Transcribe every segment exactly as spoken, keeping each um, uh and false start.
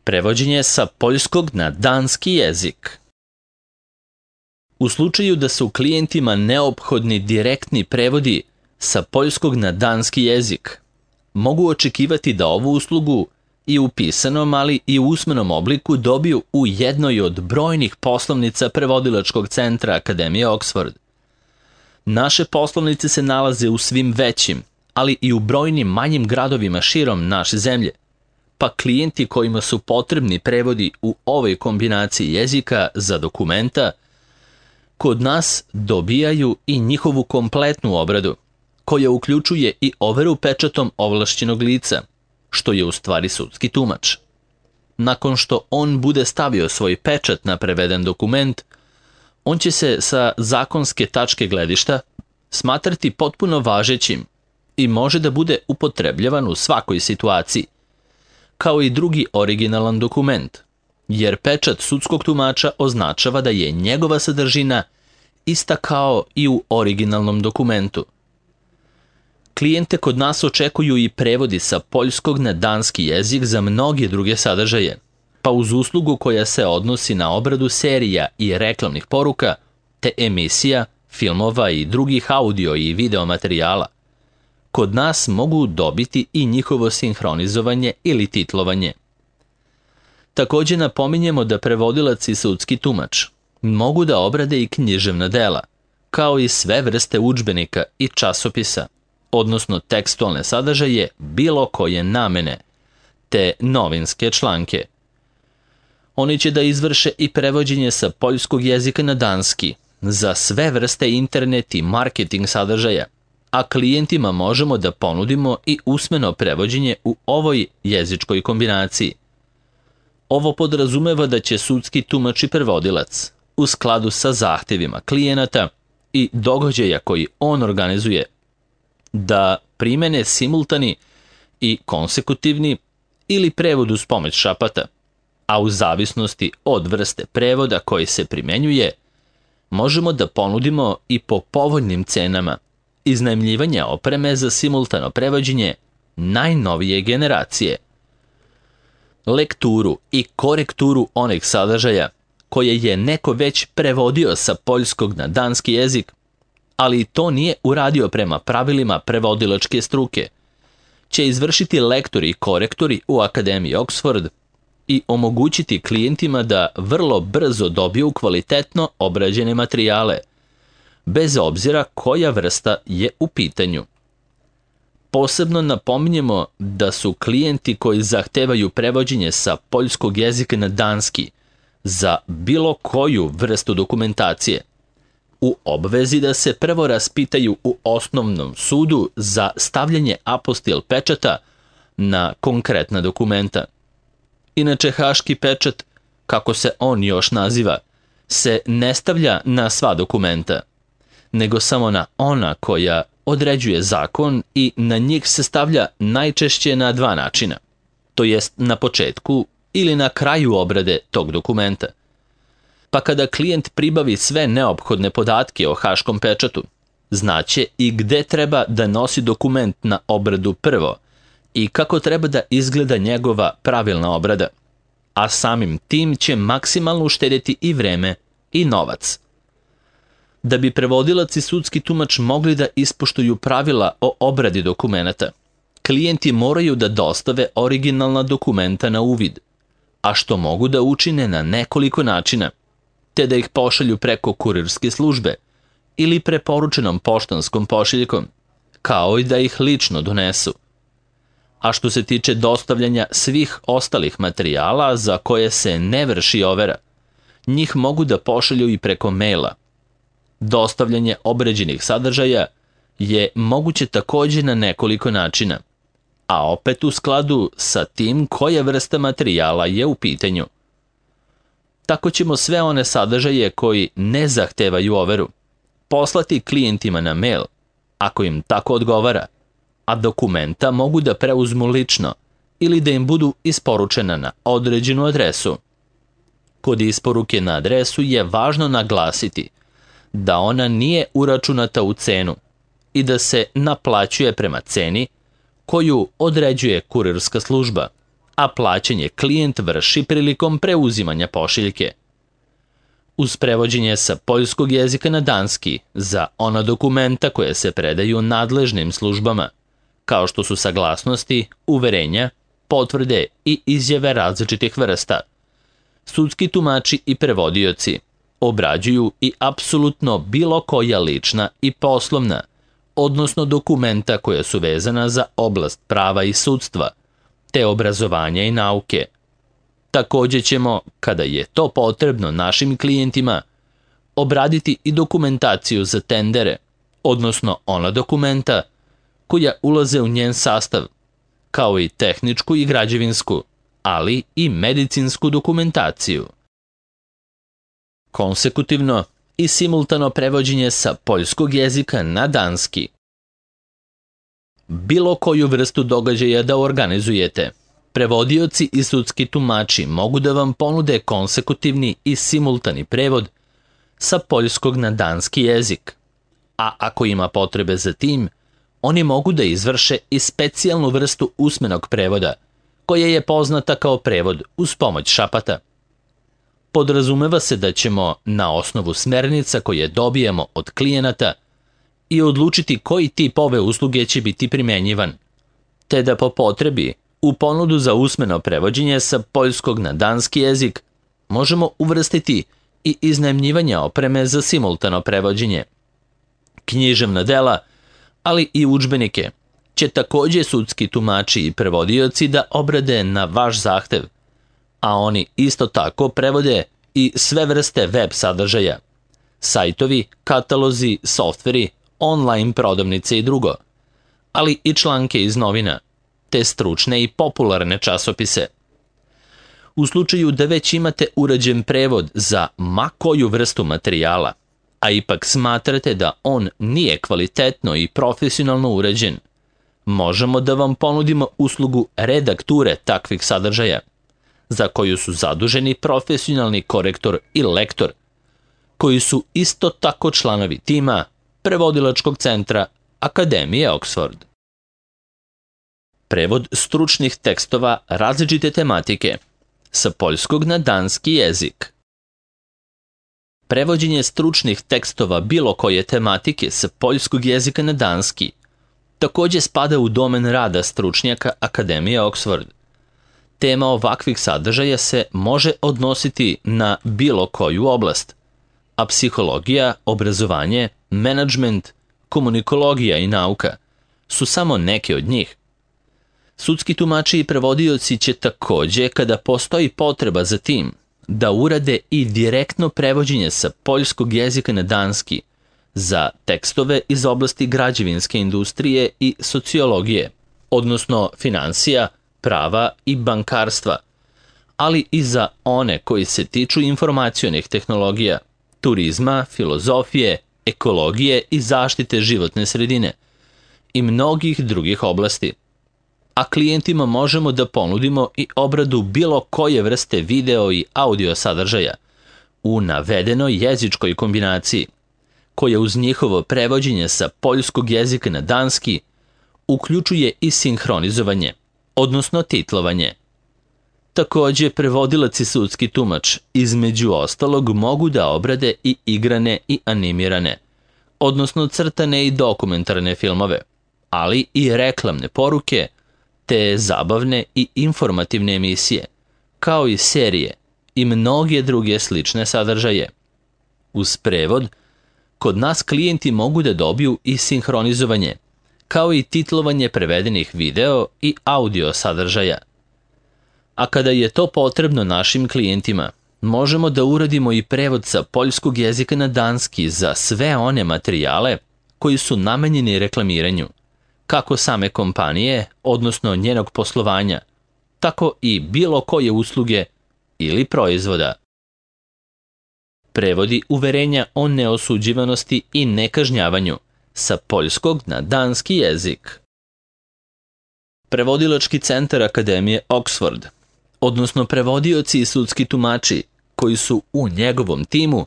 Prevođenje sa poljskog na danski jezik. U slučaju da su klijentima neophodni direktni prevodi sa poljskog na danski jezik, mogu očekivati da ovu uslugu i u pisanom, ali i u usmenom obliku dobiju u jednoj od brojnih poslovnica prevodilačkog centra Akademije Oxford. Naše poslovnice se nalaze u svim većim, ali i u brojnim manjim gradovima širom naše zemlje, pa klijenti kojima su potrebni prevodi u ovoj kombinaciji jezika za dokumenta, kod nas dobijaju i njihovu kompletnu obradu, koja uključuje i overu pečatom ovlašćenog lica, što je u stvari sudski tumač. Nakon što on bude stavio svoj pečat na preveden dokument, on će se sa zakonske tačke gledišta smatrati potpuno važećim i može da bude upotrebljavan u svakoj situaciji, kao i drugi originalan dokument, jer pečat sudskog tumača označava da je njegova sadržina ista kao i u originalnom dokumentu. Klijente kod nas očekuju i prevodi sa poljskog na danski jezik za mnoge druge sadržaje, pa uz uslugu koja se odnosi na obradu serija i reklamnih poruka, te emisija, filmova i drugih audio i video materijala, kod nas mogu dobiti i njihovo sinhronizovanje ili titlovanje. Također napominjemo da prevodilac i sudski tumač mogu da obrade i književna dela, kao i sve vrste udžbenika i časopisa, odnosno tekstualne sadržaje bilo koje namene, te novinske članke. Oni će da izvrše i prevođenje sa poljskog jezika na danski za sve vrste internet i marketing sadržaja, a klijentima možemo da ponudimo i usmeno prevođenje u ovoj jezičkoj kombinaciji. Ovo podrazumeva da će sudski tumač i prevodilac, u skladu sa zahtevima klijenata i događaja koji on organizuje, da primene simultani i konsekutivni ili prevod uz pomoć šapata, a u zavisnosti od vrste prevoda koji se primenjuje, možemo da ponudimo i po povoljnim cenama iznajmljivanje opreme za simultano prevođenje najnovije generacije, lekturu i korekturu onih sadržaja koje je neko već prevodio sa poljskog na danski jezik, ali to nije uradio prema pravilima prevodilačke struke, će izvršiti lektori i korektori u Akademiji Oxford i omogućiti klijentima da vrlo brzo dobiju kvalitetno obrađene materijale, bez obzira koja vrsta je u pitanju. Posebno napominjemo da su klijenti koji zahtevaju prevođenje sa poljskog jezika na danski za bilo koju vrstu dokumentacije u obvezi da se prvo raspitaju u osnovnom sudu za stavljanje apostil pečata na konkretna dokumenta. Inače, haški pečat, kako se on još naziva, se ne stavlja na sva dokumenta, nego samo na ona koja određuje zakon i na njih se stavlja najčešće na dva načina, to jest na početku ili na kraju obrade tog dokumenta. Pa kada klijent pribavi sve neophodne podatke o haškom pečatu, znaće i gde treba da nosi dokument na obradu prvo i kako treba da izgleda njegova pravilna obrada, a samim tim će maksimalno uštedjeti i vreme i novac. Da bi prevodilac i sudski tumač mogli da ispoštuju pravila o obradi dokumenata, klijenti moraju da dostave originalna dokumenta na uvid, a što mogu da učine na nekoliko načina, te da ih pošalju preko kurirske službe ili preporučenom poštanskom pošiljkom, kao i da ih lično donesu. A što se tiče dostavljanja svih ostalih materijala za koje se ne vrši overa, njih mogu da pošalju i preko maila. Dostavljanje obrađenih sadržaja je moguće također na nekoliko načina, a opet u skladu sa tim koja vrsta materijala je u pitanju. Tako ćemo sve one sadržaje koji ne zahtevaju overu poslati klijentima na mail, ako im tako odgovara, a dokumenta mogu da preuzmu lično ili da im budu isporučena na određenu adresu. Kod isporuke na adresu je važno naglasiti da ona nije uračunata u cenu i da se naplaćuje prema ceni koju određuje kurirska služba, a plaćanje klijent vrši prilikom preuzimanja pošiljke. Uz prevođenje sa poljskog jezika na danski za ona dokumenta koje se predaju nadležnim službama, kao što su saglasnosti, uverenja, potvrde i izjave različitih vrsta, sudski tumači i prevodioci obrađuju i apsolutno bilo koja lična i poslovna, odnosno dokumenta koja su vezana za oblast prava i sudstva, te obrazovanja i nauke. Takođe ćemo, kada je to potrebno našim klijentima, obraditi i dokumentaciju za tendere, odnosno ona dokumenta koja ulaze u njen sastav, kao i tehničku i građevinsku, ali i medicinsku dokumentaciju. Konsekutivno i simultano prevođenje sa poljskog jezika na danski. Bilo koju vrstu događaja da organizujete, prevodioci i sudski tumači mogu da vam ponude konsekutivni i simultani prevod sa poljskog na danski jezik, a ako ima potrebe za tim, oni mogu da izvrše i specijalnu vrstu usmenog prevoda, koja je poznata kao prevod uz pomoć šapata. Podrazumeva se da ćemo, na osnovu smernica koje dobijemo od klijenata, i odlučiti koji tip ove usluge će biti primenjivan, te da po potrebi u ponudu za usmeno prevođenje sa poljskog na danski jezik možemo uvrstiti i iznajmljivanje opreme za simultano prevođenje. Književna dela, ali i udžbenike, će takođe sudski tumači i prevodioci da obrade na vaš zahtev, a oni isto tako prevode i sve vrste web sadržaja, sajtovi, katalozi, softveri, online prodavnice i drugo, ali i članke iz novina, te stručne i popularne časopise. U slučaju da već imate urađen prevod za ma koju vrstu materijala, a ipak smatrate da on nije kvalitetno i profesionalno urađen, možemo da vam ponudimo uslugu redakture takvih sadržaja, za koju su zaduženi profesionalni korektor i lektor, koji su isto tako članovi tima Prevodilačkog centra Akademije Oxford. Prevod stručnih tekstova različite tematike sa poljskog na danski jezik. Prevođenje stručnih tekstova bilo koje tematike sa poljskog jezika na danski takođe spada u domen rada stručnjaka Akademije Oxford. Tema ovakvih sadržaja se može odnositi na bilo koju oblast, a psihologija, obrazovanje, menadžment, komunikologija i nauka su samo neke od njih. Sudski tumači i prevodioci će takođe, kada postoji potreba za tim, da urade i direktno prevođenje sa poljskog jezika na danski za tekstove iz oblasti građevinske industrije i sociologije, odnosno finansija, prava i bankarstva, ali i za one koji se tiču informacionih tehnologija, turizma, filozofije, ekologije i zaštite životne sredine i mnogih drugih oblasti. A klijentima možemo da ponudimo i obradu bilo koje vrste video i audio sadržaja u navedenoj jezičkoj kombinaciji, koja uz njihovo prevođenje sa poljskog jezika na danski uključuje i sinhronizovanje, odnosno titlovanje. Takođe, prevodilac i sudski tumač između ostalog mogu da obrade i igrane i animirane, odnosno crtane i dokumentarne filmove, ali i reklamne poruke, te zabavne i informativne emisije, kao i serije i mnoge druge slične sadržaje. Uz prevod, kod nas klijenti mogu da dobiju i sinhronizovanje, kao i titlovanje prevedenih video i audio sadržaja. A kada je to potrebno našim klijentima, možemo da uradimo i prevod sa poljskog jezika na danski za sve one materijale koji su namenjeni reklamiranju, kako same kompanije, odnosno njenog poslovanja, tako i bilo koje usluge ili proizvoda. Prevodi uverenja o neosuđivanosti i nekažnjavanju sa poljskog na danski jezik. Prevodilački centar Akademije Oxford, odnosno prevodioci i sudski tumači koji su u njegovom timu,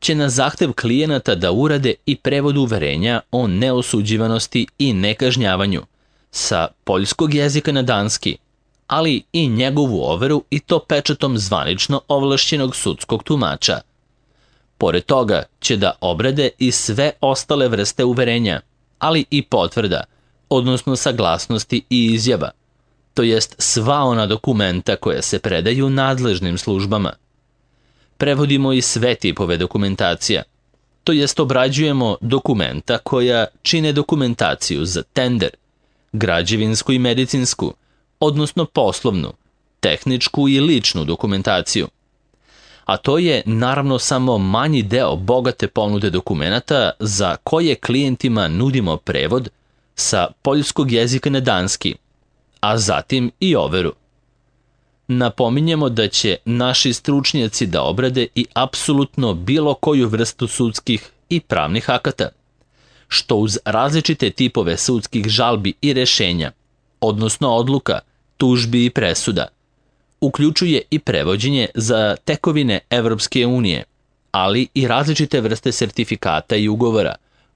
će na zahtev klijenata da urade i prevod uverenja o neosuđivanosti i nekažnjavanju sa poljskog jezika na danski ali i njegovu overu i to pečatom zvanično ovlašćenog sudskog tumača. Pored toga će da obrade i sve ostale vrste uverenja, ali i potvrda, odnosno saglasnosti i izjava, to jest sva ona dokumenta koja se predaju nadležnim službama. Prevodimo i sve tipove dokumentacija, to jest obrađujemo dokumenta koja čine dokumentaciju za tender, građevinsku i medicinsku, odnosno poslovnu, tehničku i ličnu dokumentaciju. A to je naravno samo manji deo bogate ponude dokumenata za koje klijentima nudimo prevod sa poljskog jezika na danski, a zatim i overu. Napominjemo da će naši stručnjaci da obrade i apsolutno bilo koju vrstu sudskih i pravnih akata, što uz različite tipove sudskih žalbi i rešenja, odnosno odluka, tužbi i presuda, uključuje i prevođenje za tekovine Evropske unije, ali i različite vrste sertifikata i ugovora,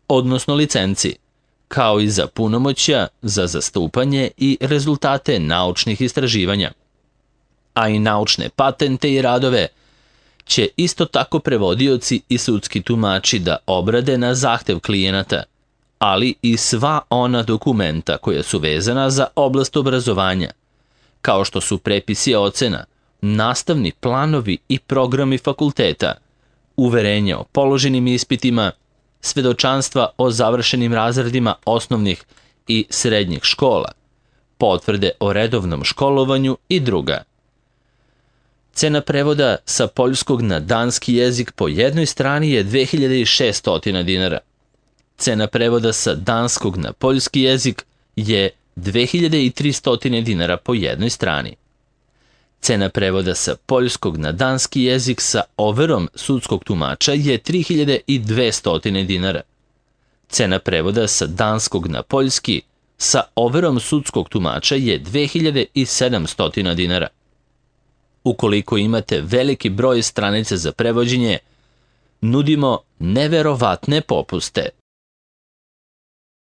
odnosno licenci, kao i za punomoćja, za zastupanje i rezultate naučnih istraživanja. A i naučne patente i radove će isto tako prevodioci i sudski tumači da obrade na zahtev klijenata, ali i sva ona dokumenta koja su vezana za oblast obrazovanja, kao što su prepisi ocena, nastavni planovi i programi fakulteta, uverenja o položenim ispitima, svedočanstva o završenim razredima osnovnih i srednjih škola, potvrde o redovnom školovanju i druga. Cena prevoda sa poljskog na danski jezik po jednoj strani je dve hiljade šesto dinara. Cena prevoda sa danskog na poljski jezik je dve hiljade tristo dinara po jednoj strani. Cena prevoda sa poljskog na danski jezik sa overom sudskog tumača je tri hiljade dvesta dinara. Cena prevoda sa danskog na poljski sa overom sudskog tumača je dve hiljade sedamsto dinara. Ukoliko imate veliki broj stranica za prevođenje, nudimo neverovatne popuste.